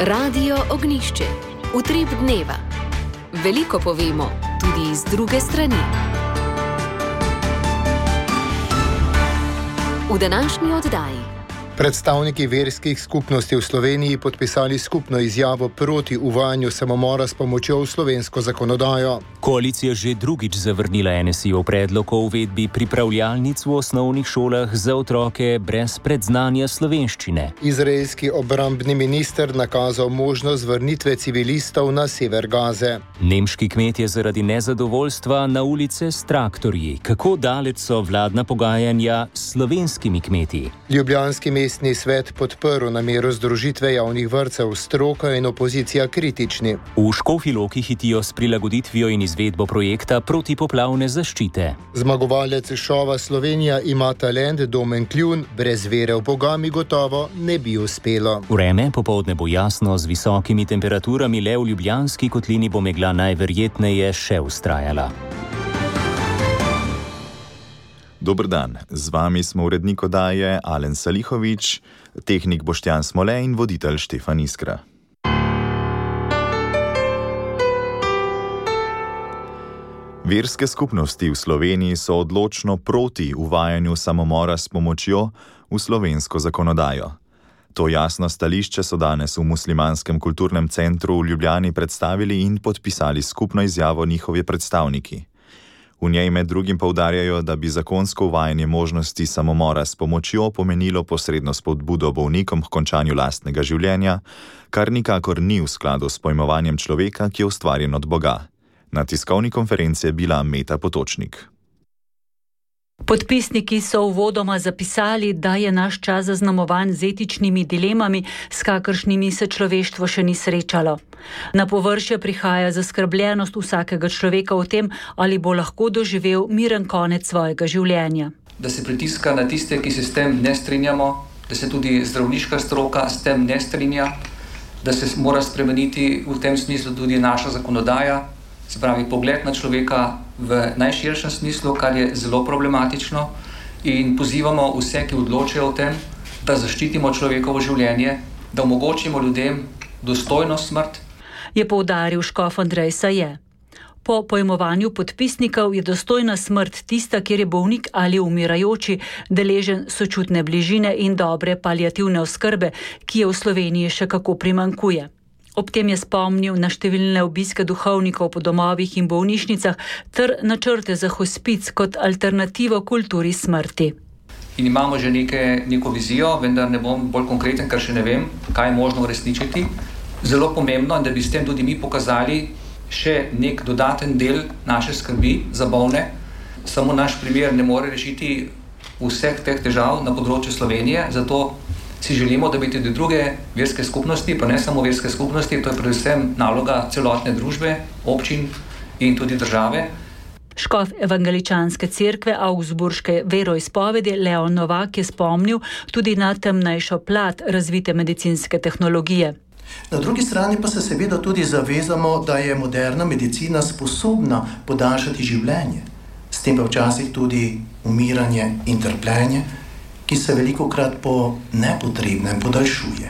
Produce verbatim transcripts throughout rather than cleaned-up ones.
Radio Ognjišče. Utrip dneva. Veliko povemo, tudi iz druge strani. V današnji oddaji. Predstavniki verskih skupnosti v Sloveniji podpisali skupno izjavo proti uvajanju samomora s pomočjo v slovensko zakonodajo. Koalicija že drugič zavrnila N S I-ov predlog o uvedbi pripravljalnic v osnovnih šolah za otroke brez predznanja slovenščine. Izraelski obrambni minister nakazal možnost vrnitve civilistov na sever Gaze. Nemški kmetje zaradi nezadovoljstva na ulice s traktorji. Kako daleč so vladna pogajanja s slovenskimi kmetji? Ljubljanski mestni svet podprl namero združitve javnih vrtcev, stroka in opozicija kritični. V Škofji Loki hitijo s prilagoditvijo in izvedbo projekta protipoplavne zaščite. Zmagovalec šova Slovenija ima talent, Domen Kljun, brez vere v Boga mi gotovo ne bi uspelo. Vreme popoldne bo jasno z visokimi temperaturami, le v Ljubljanski kotlini bo megla najverjetneje še vztrajala. Dober dan, z vami smo urednik oddaje Alen Salihovič, tehnik Boštjan Smole in voditelj Štefan Iskra. Verske skupnosti v Sloveniji so odločno proti uvajanju samomora s pomočjo v slovensko zakonodajo. To jasno stališče so danes v Muslimanskem kulturnem centru v Ljubljani predstavili in podpisali skupno izjavo njihovi predstavniki. V njej med drugim poudarjajo, da bi zakonsko uvajanje možnosti samomora s pomočjo pomenilo posredno spodbudo bolnikom k končanju lastnega življenja, kar nikakor ni v skladu s pojmovanjem človeka, ki je ustvarjen od Boga. Na tiskovni konferenci je bila Meta Potočnik. Podpisniki so uvodoma zapisali, da je naš čas zaznamovan z etičnimi dilemami, s kakršnimi se človeštvo še ni srečalo. Na površje prihaja zaskrbljenost vsakega človeka o tem, ali bo lahko doživel miren konec svojega življenja. Da se pritiska na tiste, ki se s tem ne strinjamo, da se tudi zdravniška stroka s tem ne strinja, da se mora spremeniti v tem smislu tudi naša zakonodaja, se pravi pogled na človeka v najširšem smislu, kar je zelo problematično, in pozivamo vse, ki odločajo o tem, da zaščitimo človekovo življenje, da omogočimo ljudem dostojno smrt. Je poudaril škof Andrej Saje. Po pojmovanju podpisnikov je dostojna smrt tista, kjer je bolnik ali umirajoči deležen sočutne bližine in dobre paliativne oskrbe, ki je v Sloveniji še kako primanjkuje. Ob tem je spomnil na številne obiske duhovnikov po domovih in bolnišnicah ter načrte za hospic kot alternativo kulturi smrti. In imamo že neke, neko vizijo, vendar ne bom bolj konkreten, ker še ne vem, kaj je možno uresničiti. Zelo pomembno je, da bi s tem tudi mi pokazali še nek dodaten del naše skrbi za bolne. Samo naš primer ne more rešiti vseh teh težav na področju Slovenije, zato si želimo, da bi tudi druge verske skupnosti, pa ne samo verske skupnosti, to je predvsem naloga celotne družbe, občin in tudi države. Škof evangeličanske cerkve Augsburške veroizpovedi Leon Novak je spomnil tudi na temnejšo plat razvite medicinske tehnologije. Na drugi strani pa se seveda tudi zavezamo, da je moderna medicina sposobna podaljšati življenje, s tem pa včasih tudi umiranje in trpljenje, ki se velikokrat po nepotrebnem podaljšuje.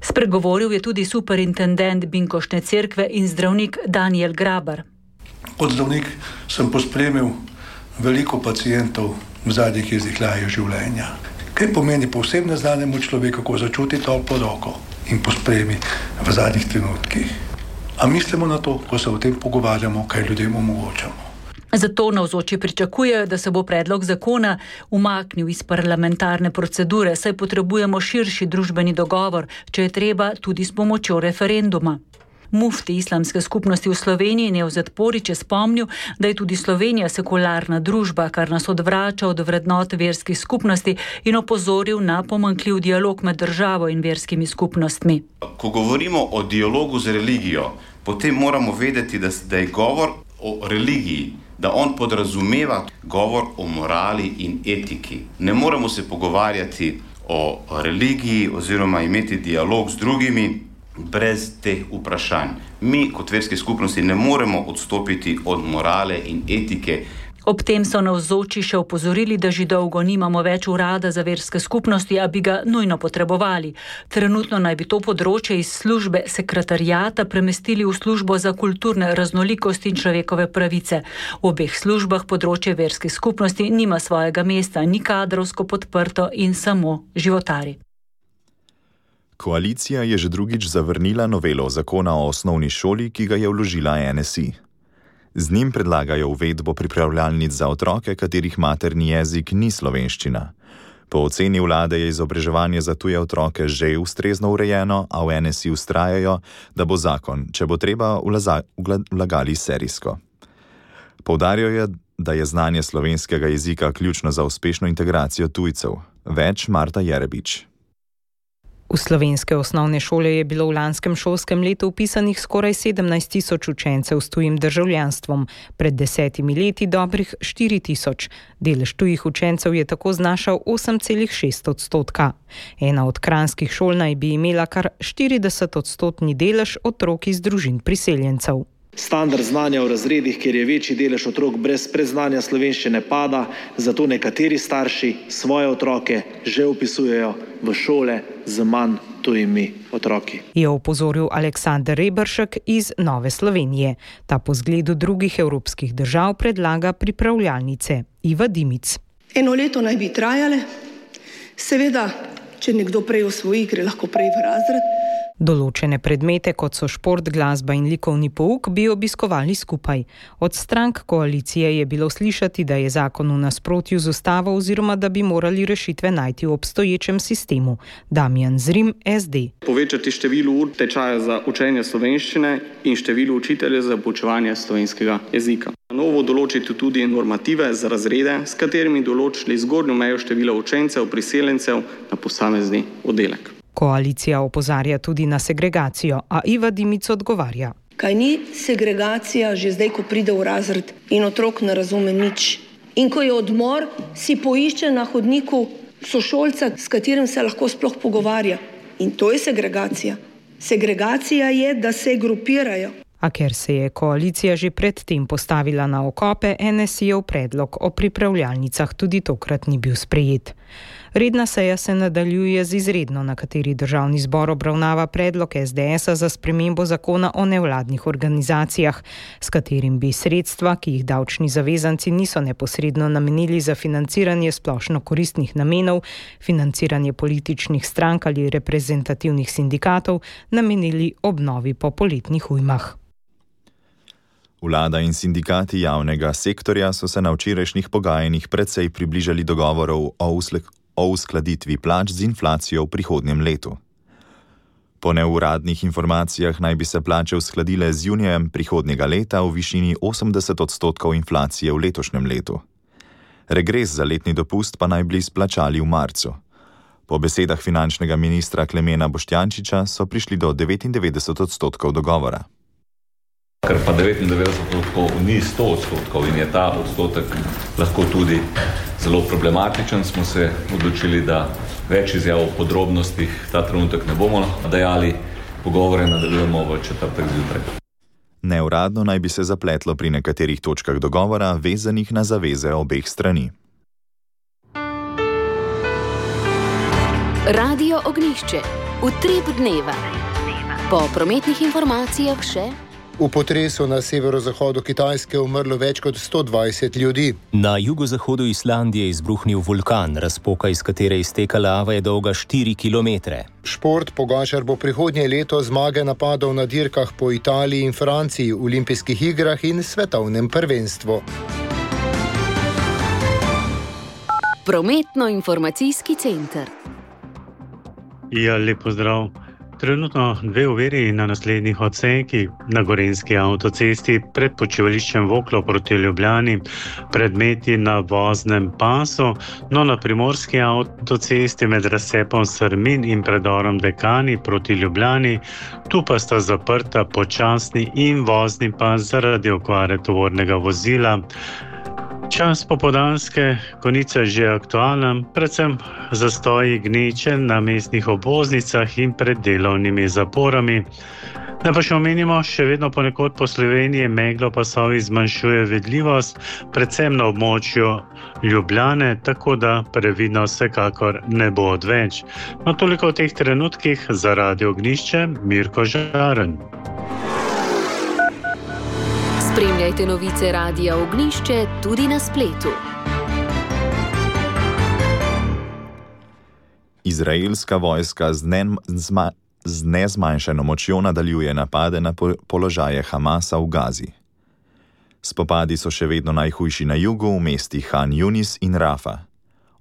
Spregovoril je tudi superintendent Binkoštne cerkve in zdravnik Daniel Grabar. Kot zdravnik sem pospremil veliko pacientov v zadnjih izdihljajo življenja. Kaj pomeni povsem neznanemu človeku, ko začuti toplo roko in pospremi v zadnjih trenutkih? A mislimo na to, ko se o tem pogovarjamo, kaj ljudem omogočamo? Zato navzoči pričakujejo, da se bo predlog zakona umaknil iz parlamentarne procedure, saj potrebujemo širši družbeni dogovor, če je treba tudi s pomočjo referenduma. Mufti islamske skupnosti v Sloveniji Nevzet Porić je spomnil, da je tudi Slovenija sekularna družba, kar nas odvrača od vrednot verskih skupnosti, in opozoril na pomanjkljiv dialog med državo in verskimi skupnostmi. Ko govorimo o dialogu z religijo, potem moramo vedeti, da je govor o religiji, da on podrazumeva govor o morali in etiki. Ne moremo se pogovarjati o religiji oziroma imeti dialog z drugimi brez teh vprašanj. Mi kot verske skupnosti ne moremo odstopiti od morale in etike. Ob tem so navzoči še opozorili, da že dolgo nimamo več urada za verske skupnosti, a bi ga nujno potrebovali. Trenutno naj bi to področje iz službe sekretarijata premestili v službo za kulturne raznolikosti in človekove pravice. V obeh službah področje verskih skupnosti nima svojega mesta, ni kadrovsko podprto in samo životari. Koalicija je že drugič zavrnila novelo zakona o osnovni šoli, ki ga je vložila N S I. Z njim predlagajo uvedbo pripravljalnic za otroke, katerih materni jezik ni slovenščina. Po oceni vlade je izobraževanje za tuje otroke že ustrezno urejeno, a v N S I vztrajajo, da bo zakon, če bo treba, vlagali serijsko. Poudarjajo, da je znanje slovenskega jezika ključno za uspešno integracijo tujcev. Več Marta Jerebič. V slovenske osnovne šole je bilo v lanskem šolskem letu vpisanih skoraj sedemnajst tisoč učencev s tujim državljanstvom, pred desetimi leti dobrih štiri tisoč. Delež tujih učencev je tako znašal osem celih šest odstotka. Ena od kranjskih šol naj bi imela kar štirideset odstotni delež otrok iz družin priseljencev. Standard znanja v razredih, kjer je večji delež otrok brez predznanja slovenščine, pada, zato nekateri starši svoje otroke že vpisujejo v šole z manj tujimi otroki. Je opozoril Aleksander Reberšek iz Nove Slovenije. Ta po zgledu drugih evropskih držav predlaga pripravljalnice. Iva Dimic. Eno leto naj bi trajale. Seveda, če nekdo prej osvoji, gre lahko prej v razred. Določene predmete, kot so šport, glasba in likovni pouk, bi obiskovali skupaj. Od strank koalicije je bilo slišati, da je zakon v nasprotju z ustavo oziroma da bi morali rešitve najti v obstoječem sistemu. Damjan Zrim, S D. Povečati število ur tečaja za učenje slovenščine in število učiteljev za poučevanje slovenskega jezika. Na novo določiti tudi normative za razrede, s katerimi določili zgornjo mejo števila učencev priseljencev na posamezni oddelek. Koalicija opozarja tudi na segregacijo, a Iva Dimic odgovarja. Kaj ni segregacija že zdaj, ko pride v razred in otrok ne razume nič? In ko je odmor, si poišče na hodniku sošolca, s katerim se lahko sploh pogovarja. In to je segregacija. Segregacija je, da se grupirajo. A ker se je koalicija že predtem postavila na okope, N S I-jev predlog o pripravljalnicah tudi tokrat ni bil sprejet. Redna seja se nadaljuje z izredno, na kateri državni zbor obravnava predlog S D S-a za spremembo zakona o nevladnih organizacijah, s katerim bi sredstva, ki jih davčni zavezanci niso neposredno namenili za financiranje splošno koristnih namenov, financiranje političnih strank ali reprezentativnih sindikatov, namenili obnovi po poletnih ujmah. Vlada in sindikati javnega sektorja so se na včerajšnjih pogajanjih precej približali dogovorov o uslek o uskladitvi plač z inflacijo v prihodnjem letu. Po neuradnih informacijah naj bi se plače uskladile z junijem prihodnjega leta v višini osemdeset odstotkov inflacije v letošnjem letu. Regres za letni dopust pa naj bi izplačali v marcu. Po besedah finančnega ministra Klemena Boštjančiča so prišli do devetindevetdeset odstotkov dogovora. Ker pa devetindevetdeset odstotkov ni sto odstotkov in je ta odstotek lahko tudi zelo problematičen, smo se odločili, da več izjav o podrobnostih ta trenutek ne bomo dajali, pogovore nadaljujemo v četrtek zjutraj. Neuradno naj bi se zapletlo pri nekaterih točkah dogovora, vezanih na zaveze obeh strani. Radio Ognjišče. Utrip dneva. Po prometnih informacijah še... V potresu na severozahodu Kitajske umrlo več kot sto dvajset ljudi. Na jugozahodu Islandije je izbruhnil vulkan, razpoka, iz katere izteka lava, je dolga štiri kilometre. Šport. Pogačar bo prihodnje leto zmage napadal na dirkah po Italiji in Franciji, olimpijskih igrah in svetovnem prvenstvu. Prometno-informacijski center. Ja, lep pozdrav. Trenutno dve oviri na naslednjih odsekih na Gorenjski avtocesti pred počivališčem Voklo proti Ljubljani, predmeti na voznem pasu, no na Primorski avtocesti med razcepom Srmin in predorom Dekani proti Ljubljani, tu pa sta zaprta počasni in vozni pas zaradi okvare tovornega vozila. Čas popoldanske konice je že aktualen, predvsem zastoji gneče na mestnih obvoznicah in pred delovnimi zaporami. Da pa še omenimo, še vedno ponekod po Sloveniji meglo pasovi zmanjšuje vidljivost, predvsem na območju Ljubljane, tako da previdnost vsekakor ne bo odveč. No, toliko v teh trenutkih za Radio Ognjišče, Mirko Žaren. Spremljajte novice Radia Ognjišče tudi na spletu. Izraelska vojska z, ne, zma, z nezmanjšano močjo nadaljuje napade na po, položaje Hamasa v Gazi. Spopadi so še vedno najhujši na jugu, v mestih Han Yunis in Rafa.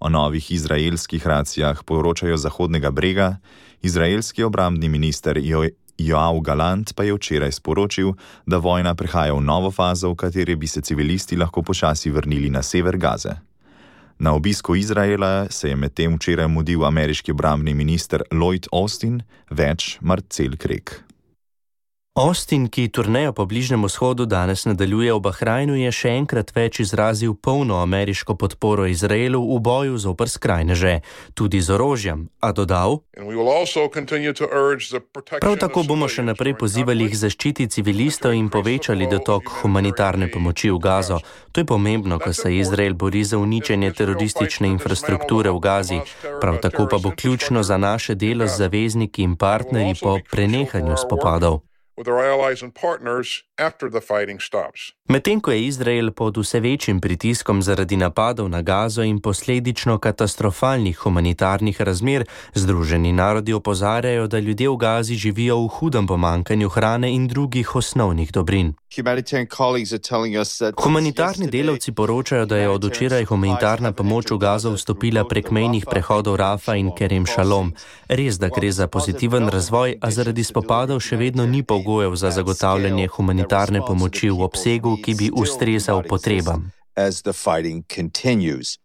O novih izraelskih racijah poročajo Zahodnega brega, izraelski obrambni minister jo, Joav Galant pa je včeraj sporočil, da vojna prehaja v novo fazo, v kateri bi se civilisti lahko počasi vrnili na sever Gaze. Na obisku Izraela se je medtem včeraj mudil ameriški obrambni minister Lloyd Austin, več Marcel Krek. Austin, ki turnejo po Bližnjem vzhodu danes nadaljuje v Bahrajnu, je še enkrat več izrazil polno ameriško podporo Izraelu v boju zoper skrajneže, tudi z orožjem, a dodal: Prav tako bomo še naprej pozivali k zaščiti civilistov in povečali dotok humanitarne pomoči v Gazo. To je pomembno, ko se Izrael bori za uničenje teroristične infrastrukture v Gazi. Prav tako pa bo ključno za naše delo z zavezniki in partnerji po prenehanju spopadov. Medtem ko je Izrael pod vse večjim pritiskom zaradi napadov na Gazo in posledično katastrofalnih humanitarnih razmer, Združeni narodi opozarjajo, da ljudje v Gazi živijo v hudem pomanjkanju hrane in drugih osnovnih dobrin. Humanitarni delavci poročajo, da je od včeraj humanitarna pomoč v Gazo vstopila prek mejnih prehodov Rafa in Kerem Šalom. Res, da gre za pozitiven razvoj, a zaradi spopadov še vedno ni pogojev za zagotavljanje humanitarne pomoči v obsegu, ki bi ustrezal potrebam.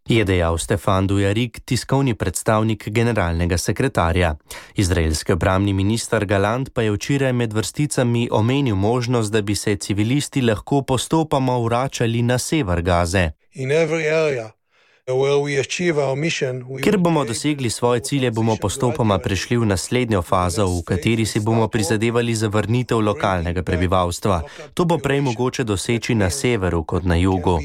Je dejal Stefan Dujarric, tiskovni predstavnik generalnega sekretarja. Izraelski obrambni minister Galant pa je včeraj med vrsticami omenil možnost, da bi se civilisti lahko postopoma vračali na sever Gaze. Ker bomo dosegli svoje cilje, bomo postopoma prešli v naslednjo fazo, v kateri si bomo prizadevali za vrnitev lokalnega prebivalstva. To bo prej mogoče doseči na severu kot na jugu.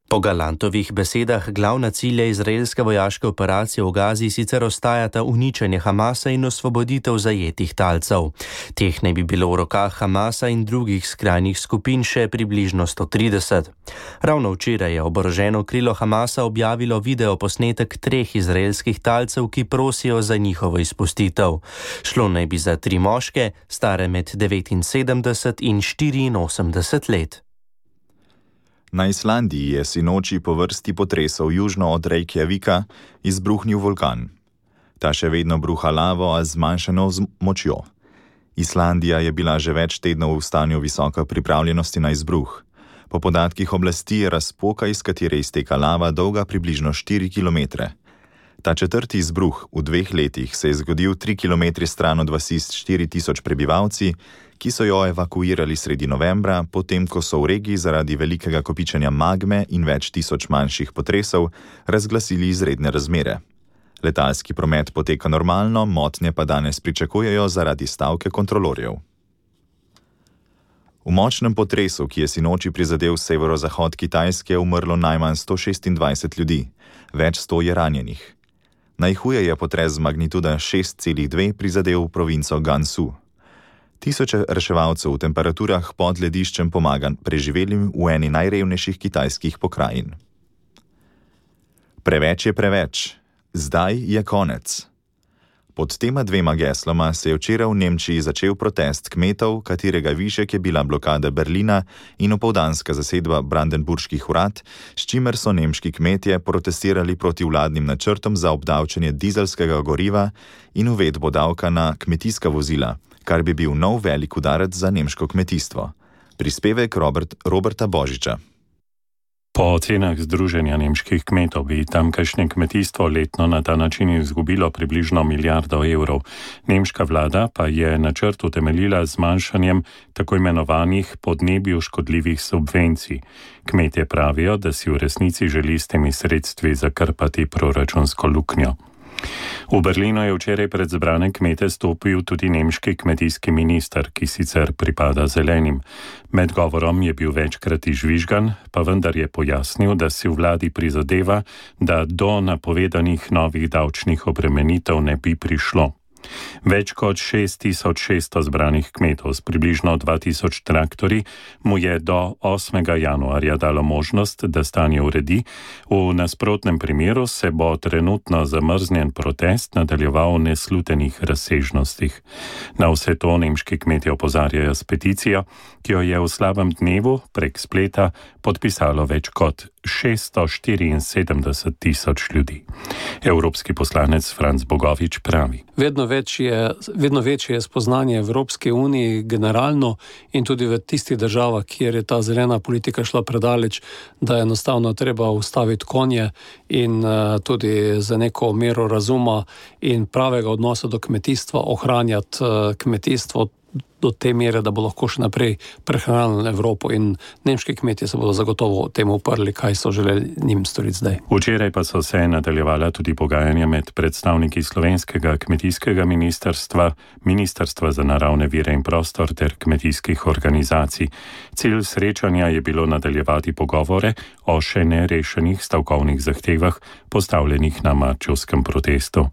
Po Galantovih besedah glavna cilja izraelske vojaške operacije v Gazi sicer ostajata uničenje Hamasa in osvoboditev zajetih talcev. Teh naj bi bilo v rokah Hamasa in drugih skrajnih skupin še približno sto trideset. Ravno včeraj je oboroženo krilo Hamasa objavilo videoposnetek treh izraelskih talcev, ki prosijo za njihovo izpustitev. Šlo naj bi za tri moške, stare med devetinsedemdeset in štiriinosemdeset let. Na Islandiji je sinoči po vrsti potresov južno od Reykjavika izbruhnil vulkan. Ta še vedno bruha lavo, a zmanjšano močjo. Islandija je bila že več tednov v stanju visoke pripravljenosti na izbruh. Po podatkih oblasti je razpoka, iz katere izteka lava, dolga približno štiri kilometre. Ta četrti izbruh v dveh letih se je zgodil tri kilometre stran od vasi s štiri tisoč prebivalci, ki so jo evakuirali sredi novembra, potem ko so v regiji zaradi velikega kopičenja magme in več tisoč manjših potresov razglasili izredne razmere. Letalski promet poteka normalno, motnje pa danes pričakujejo zaradi stavke kontrolorjev. V močnem potresu, ki je sinoči prizadel severozahod Kitajske, je umrlo najmanj sto šestindvajset ljudi, več sto je ranjenih. Najhuje je potres z magnituda šest celih dve prizadel provinco Gansu. Tisoče reševalcev v temperaturah pod lediščem pomaga preživelim v eni najrevnejših kitajskih pokrajin. Preveč je preveč. Zdaj je konec. Pod tema dvema gesloma se je včeraj v Nemčiji začel protest kmetov, katerega višek je bila blokada Berlina in opoldanska zasedba brandenburških urad, s čimer so nemški kmetje protestirali proti vladnim načrtom za obdavčenje dizelskega goriva in uvedbo davka na kmetijska vozila, kar bi bil nov velik udarec za nemško kmetijstvo. Prispevek Robert, Roberta Božiča. Po ocenah Združenja nemških kmetov bi tamkajšnje kmetijstvo letno na ta način izgubilo približno milijardo evrov. Nemška vlada pa je načrt utemeljila z zmanjšanjem tako imenovanih podnebju škodljivih subvencij. Kmetje pravijo, da si v resnici želi s temi sredstvi zakrpati proračunsko luknjo. V Berlinu je včeraj pred zbrane kmete stopil tudi nemški kmetijski minister, ki sicer pripada zelenim. Med govorom je bil večkrat izžvižgan, pa vendar je pojasnil, da si v vladi prizadeva, da do napovedanih novih davčnih obremenitev ne bi prišlo. Več kot šest tisoč šeststo zbranih kmetov s približno dva tisoč traktorji mu je do osmega januarja dalo možnost, da stanje uredi. V nasprotnem primeru se bo trenutno zamrznjen protest nadaljeval v neslutenih razsežnostih. Na vse to nemški kmetje opozarjajo s peticijo, ki jo je v slabem dnevu prek spleta podpisalo več kot šeststo štiriinsedemdeset tisoč ljudi. Evropski poslanec Franc Bogovič pravi: Vedno več je, vedno večje je spoznanje Evropske unije generalno in tudi v tistih državah, kjer je ta zelena politika šla predaleč, da je enostavno treba ustaviti konje in uh, tudi za neko mero razuma in pravega odnosa do kmetijstva ohranjati uh, kmetijstvo do te mere, da bo lahko še naprej prehranili Evropo, in nemški kmetje se bodo zagotovo temu uprli, kaj so želeli njim storiti zdaj. Včeraj pa so se nadaljevala tudi pogajanja med predstavniki slovenskega kmetijskega ministrstva, Ministrstva za naravne vire in prostor ter kmetijskih organizacij. Cilj srečanja je bilo nadaljevati pogovore o še nerešenih stavkovnih zahtevah, postavljenih na marčevskem protestu.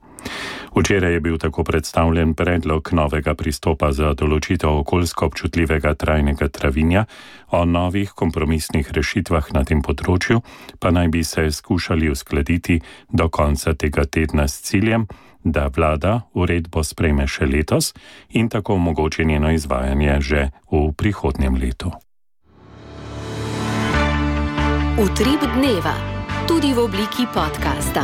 Včeraj je bil tako predstavljen predlog novega pristopa za določitev okoljsko občutljivega trajnega travinja. O novih kompromisnih rešitvah na tem področju pa naj bi se skušali uskladiti do konca tega tedna s ciljem, da vlada uredbo sprejme še letos in tako omogoči njeno izvajanje že v prihodnjem letu. Utrip dneva, tudi v obliki podcasta.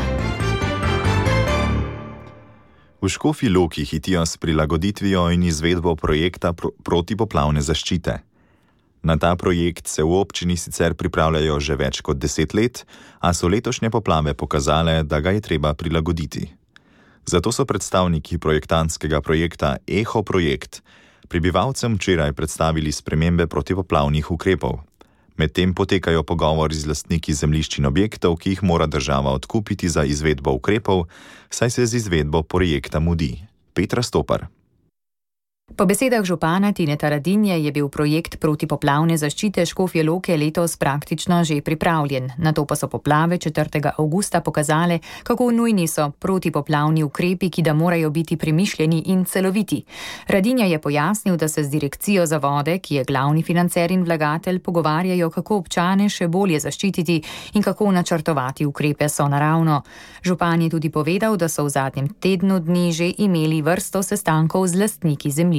V Škofji Loki hitijo s prilagoditvijo in izvedbo projekta pro- protipoplavne zaščite. Na ta projekt se v občini sicer pripravljajo že več kot deset let, a so letošnje poplave pokazale, da ga je treba prilagoditi. Zato so predstavniki projektantskega projekta Eho projekt prebivalcem včeraj predstavili spremembe protipoplavnih ukrepov. Medtem potekajo pogovori z lastniki zemljišč in objektov, ki jih mora država odkupiti za izvedbo ukrepov, saj se z izvedbo projekta mudi. Petra Stopar. Po besedah župana Tineta Radinje je bil projekt protipoplavne zaščite Škofje Loke letos praktično že pripravljen. Nato pa so poplave četrtega avgusta pokazale, kako nujni so protipoplavni ukrepi, ki da morajo biti premišljeni in celoviti. Radinja je pojasnil, da se z direkcijo za vode, ki je glavni financer in vlagatelj, pogovarjajo, kako občane še bolje zaščititi in kako načrtovati ukrepe sonaravno. Župan je tudi povedal, da so v zadnjem tednu dni že imeli vrsto sestankov z lastniki zemljišč.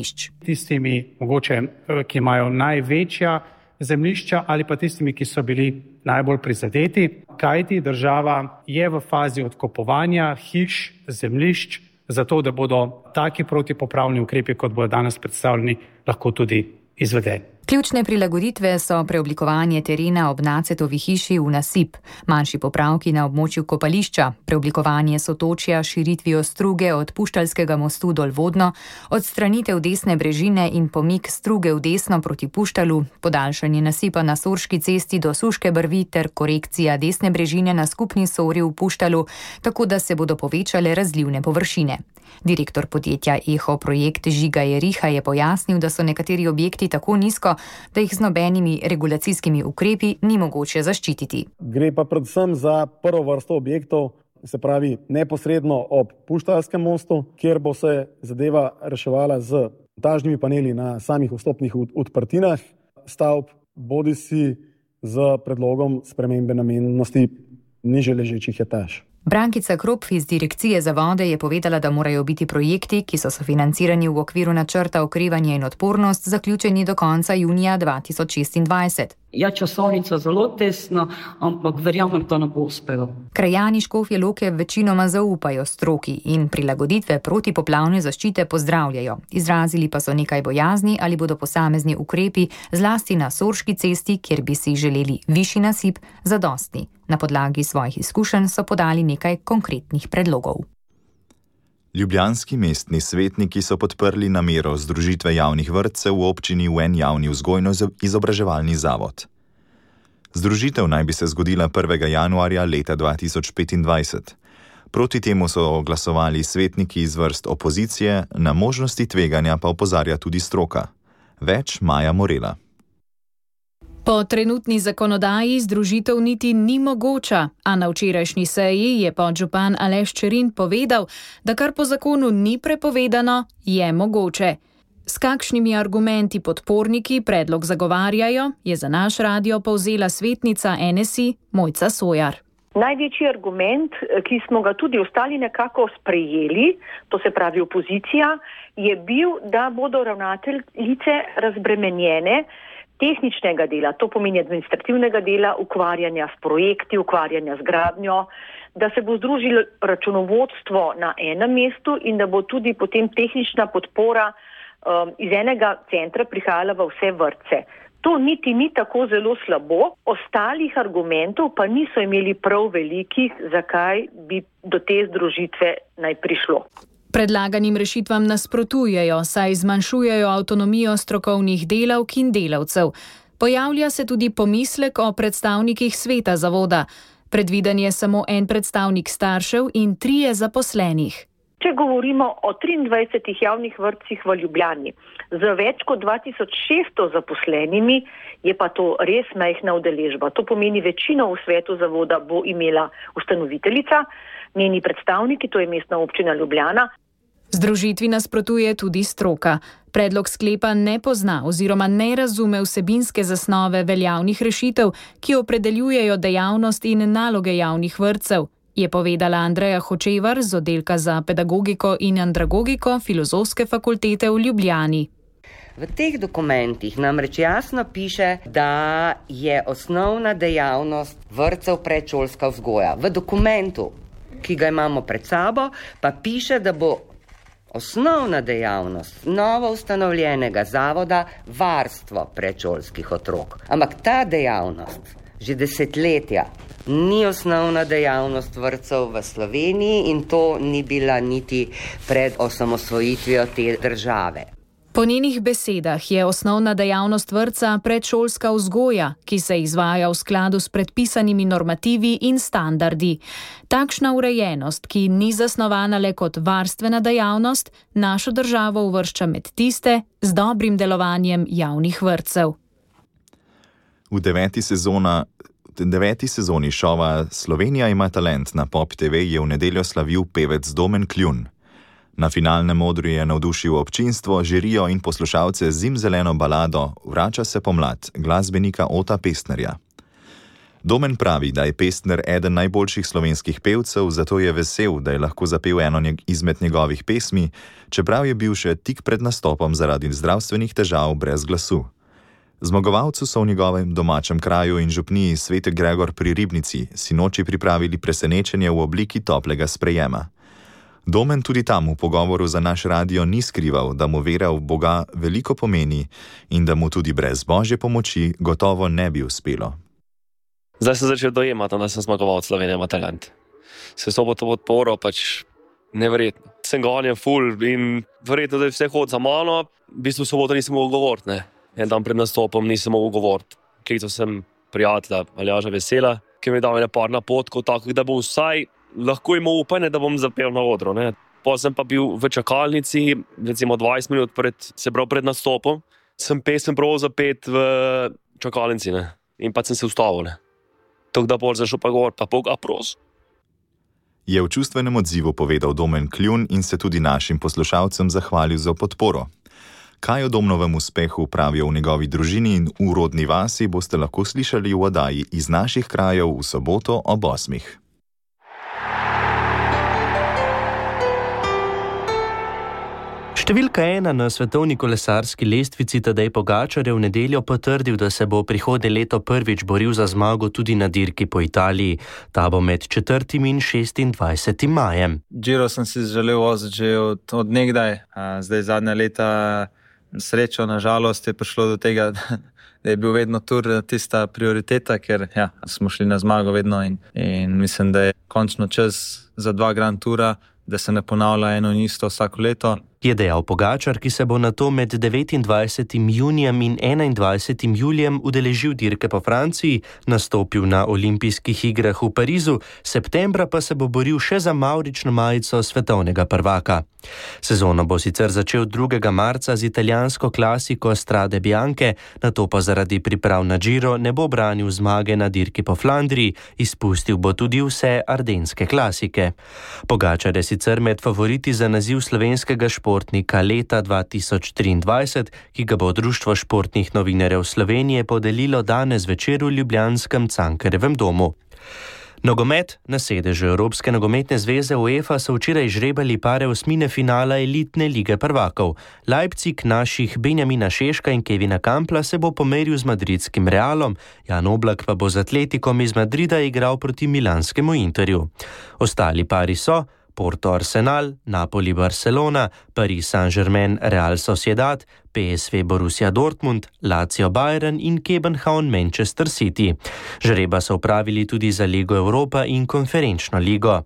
Tistimi, mogoče, ki imajo največja zemljišča ali pa tistimi, ki so bili najbolj prizadeti, kajti država je v fazi odkupovanja hiš, zemljišč, zato da bodo taki protipoplavni ukrepi, kot bodo danes predstavljeni, lahko tudi izvedeni. Ključne prilagoditve so preoblikovanje terena ob Nacetovi hiši v nasip, manjši popravki na območju kopališča, preoblikovanje sotočja širitvijo struge od Puštalskega mostu dolvodno, odstranitev desne brežine in pomik struge v desno proti Puštalu, podaljšanje nasipa na Sorški cesti do Suške brvi ter korekcija desne brežine na skupni Sori v Puštalu, tako da se bodo povečale razlivne površine. Direktor podjetja Eho projekt Žiga Jeriha je pojasnil, da so nekateri objekti tako nizko, da jih z nobenimi regulacijskimi ukrepi ni mogoče zaščititi. Gre pa predvsem za prvo vrsto objektov, se pravi neposredno ob Puštalskem mostu, kjer bo se zadeva reševala z montažnimi paneli na samih vstopnih odprtinah stavb, bodisi z predlogom spremembe namennosti nižje ležečih etaž. Brankica Kropf iz Direkcije za vode je povedala, da morajo biti projekti, ki so sofinancirani v okviru načrta okrevanja in odpornost, zaključeni do konca junija dva tisoč šestindvajset. Ja, časovnica zelo tesna, ampak verjamem, da ne bo uspelo. Krajani Škofje Loke večinoma zaupajo stroki in prilagoditve protipoplavne zaščite pozdravljajo. Izrazili pa so nekaj bojazni, ali bodo posamezni ukrepi, zlasti na Sorški cesti, kjer bi si želeli višji nasip, zadostni. Na podlagi svojih izkušenj so podali nekaj konkretnih predlogov. Ljubljanski mestni svetniki so podprli namero združitve javnih vrtcev v občini v en javni vzgojno-izobraževalni zavod. Združitev naj bi se zgodila prvega januarja leta dva tisoč petindvajset. Proti temu so glasovali svetniki iz vrst opozicije, na možnosti tveganja pa opozarja tudi stroka. Več Maja Morela. Po trenutni zakonodaji združitev niti ni mogoča, a na včerajšnji seji je podžupan Aleš Čerin povedal, da kar po zakonu ni prepovedano, je mogoče. S kakšnimi argumenti podporniki predlog zagovarjajo, je za naš radio povzela svetnica N S I Mojca Sojar. Največji argument, ki smo ga tudi ostali nekako sprejeli, to se pravi opozicija, je bil, da bodo ravnateljice razbremenjene tehničnega dela, to pomeni administrativnega dela, ukvarjanja s projekti, ukvarjanja z gradnjo, da se bo združilo računovodstvo na enem mestu in da bo tudi potem tehnična podpora um, iz enega centra prihajala v vse vrtce. To niti ni tako zelo slabo, ostalih argumentov pa niso imeli prav velikih, zakaj bi do te združitve naj prišlo. Predlaganim rešitvam nasprotujejo, saj zmanjšujejo avtonomijo strokovnih delavk in delavcev. Pojavlja se tudi pomislek o predstavnikih sveta zavoda. Predviden je samo en predstavnik staršev in trije zaposlenih. Če govorimo o triindvajsetih javnih vrtcih v Ljubljani, z več kot dva tisoč šeststo zaposlenimi, je pa to res majhna udeležba. To pomeni, večino v svetu zavoda bo imela ustanoviteljica, njeni predstavniki, to je Mestna občina Ljubljana. Združitvi nasprotuje tudi stroka. Predlog sklepa ne pozna oziroma ne razume vsebinske zasnove veljavnih rešitev, ki opredeljujejo dejavnost in naloge javnih vrtcev, je povedala Andreja Hočevar z oddelka za pedagogiko in andragogiko Filozofske fakultete v Ljubljani. V teh dokumentih namreč jasno piše, da je osnovna dejavnost vrtcev predšolska vzgoja. V dokumentu, ki ga imamo pred sabo, pa piše, da bo osnovna dejavnost novo ustanovljenega zavoda varstvo predšolskih otrok. Ampak ta dejavnost že desetletja ni osnovna dejavnost vrtcev v Sloveniji in to ni bila niti pred osamosvojitvijo te države. Po njenih besedah je osnovna dejavnost vrtca predšolska vzgoja, ki se izvaja v skladu s predpisanimi normativi in standardi. Takšna urejenost, ki ni zasnovana le kot varstvena dejavnost, našo državo uvršča med tiste z dobrim delovanjem javnih vrtcev. V deveti, sezona, deveti sezoni šova Slovenija ima talent na Pop T V je v nedeljo slavil pevec Domen Kljun. Na finalnem odru je navdušil občinstvo, žirijo in poslušalce z zimzeleno balado Vrača se pomlad glasbenika Ota Pestnerja. Domen pravi, da je Pestner eden najboljših slovenskih pevcev, zato je vesel, da je lahko zapel eno izmed njegovih pesmi, čeprav je bil še tik pred nastopom zaradi zdravstvenih težav brez glasu. Zmagovalcu so v njegovem domačem kraju in župniji Sveti Gregor pri Ribnici sinoči pripravili presenečenje v obliki toplega sprejema. Domen tudi tam v pogovoru za naš radio ni skrival, da mu vera v Boga veliko pomeni in da mu tudi brez Božje pomoči gotovo ne bi uspelo. Zdaj sem začel dojemati, da sem zmagovalec Slovenije ima talent. Se so bo to podporo pač neverjetno. Sem gonjen ful in verjetno, da je vse hod za mano, v bistvu soboto nisem mogel govoriti, ne. En dan pred nastopom nisem mogel govoriti. Klical sem prijatelja Aljaža Vesela, ki mi je dal ene par napotkov, tako da bo vsaj lahko imel upanje, da bom zapel na odru, ne. Potem sem pa bil v čakalnici, recimo dvajset minut pred, se prav pred nastopom, sem pesem prav zapet v čakalnici, ne. In pa sem se ustavil, ne. Tako da bolj zašel pa govor, pa Boga pros. Je v čustvenem odzivu povedal Domen Kljun in se tudi našim poslušalcem zahvalil za podporo. Kaj o Domnovem uspehu pravijo v njegovi družini in v rodni vasi, boste lahko slišali v oddaji Iz naših krajev v soboto ob osmih. Številka ena na svetovni kolesarski lestvici Tadej Pogačar je v nedeljo potrdil, da se bo prihodnje leto prvič boril za zmago tudi na dirki po Italiji. Ta bo med četrtim in šestindvajsetim majem. Giro sem si želel voziti že od, od nekdaj, zdaj zadnja leta srečo, na žalost je prišlo do tega, da je bil vedno tur tista prioriteta, ker ja, smo šli na zmago vedno in, in mislim, da je končno čas za dva Grand Tura, da se ne ponavlja eno in isto vsako leto. Je dejal Pogačar, ki se bo nato med devetindvajsetim junijem in enaindvajsetim julijem udeležil dirke po Franciji, nastopil na olimpijskih igrah v Parizu, septembra pa se bo boril še za mavrično majico svetovnega prvaka. Sezono bo sicer začel drugega marca z italijansko klasiko Strade Bianche, nato pa zaradi priprav na Giro ne bo branil zmage na dirki po Flandriji, izpustil bo tudi vse ardenske klasike. Pogačar je sicer med favoriti za naziv slovenskega športnika leta dva tisoč triindvajset, ki ga bo Društvo športnih novinarjev Slovenije podelilo danes večer v ljubljanskem Cankarjevem domu. Nogomet. Na sedežu Evropske nogometne zveze UEFA so včeraj žrebali pare osmine finala elitne lige prvakov. Leipzig naših Benjamina Šeška in Kevina Kampla se bo pomeril z madridskim Realom, Jan Oblak pa bo z Atletikom iz Madrida igral proti milanskemu Interju. Ostali pari so Porto Arsenal, Napoli Barcelona, Paris Saint-Germain Real Sociedad, P S V Borussia Dortmund, Lazio Bayern in Kopenhagen Manchester City. Žreba so opravili tudi za Ligo Evropa in Konferenčno ligo.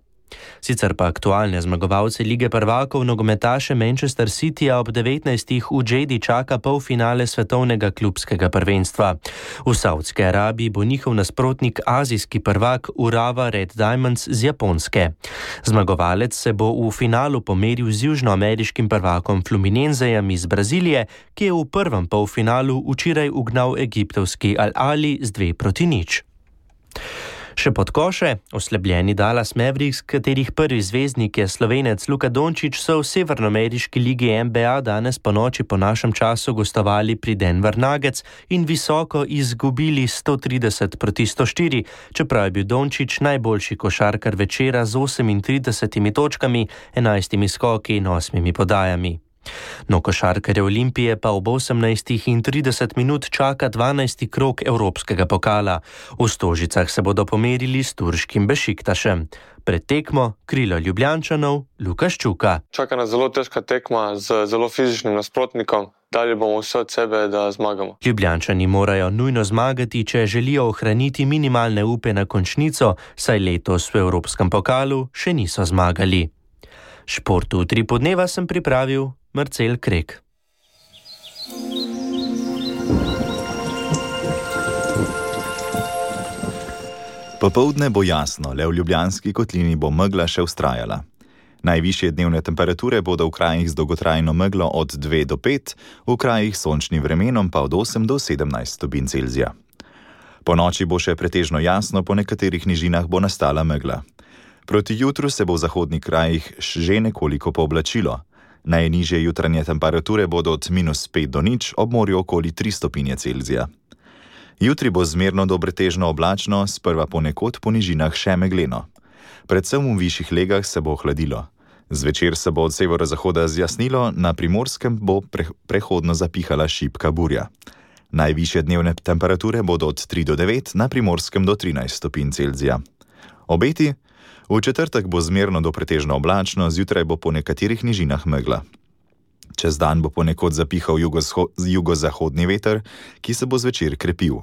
Sicer pa aktualne zmagovalce lige prvakov nogometaše Manchester Cityja ob devetnajstih v Džedi čaka polfinale svetovnega klubskega prvenstva. V Saudski Arabiji bo njihov nasprotnik azijski prvak Urawa Red Diamonds z Japonske. Zmagovalec se bo v finalu pomeril z južnoameriškim prvakom Fluminensejem iz Brazilije, ki je v prvem polfinalu včeraj ugnal egiptovski Al Ahly z dve proti nič. Še pod koše, oslabljeni Dallas Mavericks, katerih prvi zvezdnik je Slovenec Luka Dončić, so v severnoameriški ligi N B A danes po noči po našem času gostovali pri Denver Nuggets in visoko izgubili sto trideset proti sto štiri, čeprav je bil Dončić najboljši košarkar večera z osemintridesetimi točkami, enajstimi skoki in osmimi podajami. No, košarkarje Olimpije pa ob osemnajstih in trideset minut čaka dvanajsti krog Evropskega pokala. V Stožicah se bodo pomerili s turškim Bešiktašem. Pred tekmo krilo Ljubljančanov Luka Ščuka. Čaka nas zelo težka tekma z zelo fizičnim nasprotnikom. Dali bomo vse od sebe, da zmagamo. Ljubljančani morajo nujno zmagati, če želijo ohraniti minimalne upe na končnico, saj letos v Evropskem pokalu še niso zmagali. Športu tri podneva sem pripravil Marcel Krek. Popoldne bo jasno, le v Ljubljanski kotlini bo megla še vztrajala. Najvišje dnevne temperature bodo v krajih z dolgotrajno meglo od dve do pet, v krajih s sončnim vremenom pa od osem do sedemnajst stopinj Celzija. Po noči bo še pretežno jasno, po nekaterih nižinah bo nastala megla. Proti jutru se bo v zahodnih krajih že nekoliko pooblačilo. Najnižje jutranje temperature bodo od minus pet do nič, ob morju okoli tri stopinje Celzija. Jutri bo zmerno do pretežno oblačno, sprva ponekod po nižinah še megleno. Predvsem v višjih legah se bo ohladilo. Zvečer se bo od severozahoda zjasnilo, na Primorskem bo pre- prehodno zapihala šibka burja. Najvišje dnevne temperature bodo od tri do devet, na Primorskem do trinajst stopinj Celzija. Obeti? V četrtek bo zmerno do pretežno oblačno, zjutraj bo po nekaterih nižinah megla. Čez dan bo ponekod zapihal jugozahodni veter, ki se bo zvečer krepil.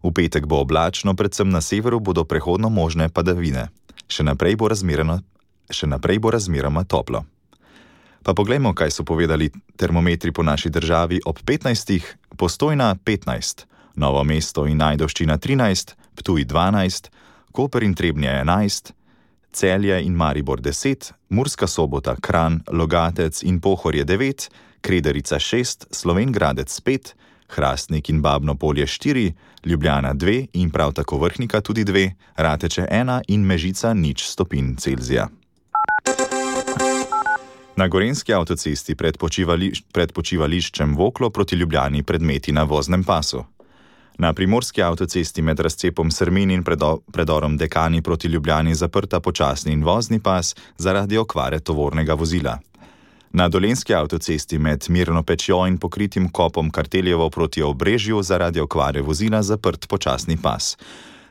V petek bo oblačno, predvsem na severu bodo prehodno možne padavine. Še naprej bo razmeroma, še naprej bo razmeroma toplo. Pa poglejmo, kaj so povedali termometri po naši državi ob petnajstih, Postojna petnajst, Novo mesto in Ajdovščina trinajst, Ptuj dvanajst, Koper in Trebnje enajst, Celje in Maribor deset, Murska Sobota, Kranj, Logatec in Pohorje devet, Krederica šest, Slovenj Gradec pet, Hrastnik in Babno Polje štiri, Ljubljana dve in prav tako Vrhnika tudi dve, Rateče ena in Mežica nič stopinj Celzija. Na Gorenjski avtocesti pred, počivališ- pred počivališčem Voklo proti Ljubljani predmeti na voznem pasu. Na Primorski avtocesti med razcepom Srmin in predo, predorom Dekani proti Ljubljani zaprta počasni in vozni pas zaradi okvare tovornega vozila. Na Dolenjski avtocesti med Mirno Pečjo in pokritim kopom Karteljevo proti Obrežju zaradi okvare vozila zaprt počasni pas.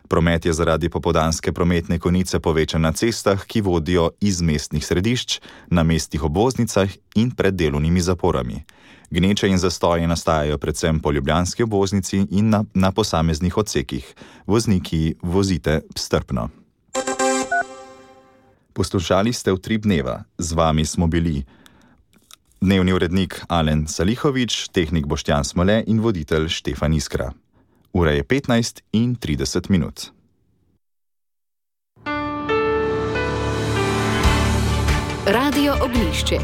Promet je zaradi popoldanske prometne konice povečan na cestah, ki vodijo iz mestnih središč, na mestnih obvoznicah in pred delovnimi zaporami. Gneče in zastoje nastajajo predvsem po ljubljanski obvoznici in na, na posameznih odsekih. Vozniki, vozite strpno. Poslušali ste Utrip dneva. Z vami smo bili Dnevni urednik Alen Salihovič, tehnik Boštjan Smole in voditelj Štefan Iskra. Ura je petnajst in trideset minut. Radio Oglišče.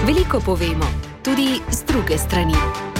Veliko povemo, tudi z druge strani.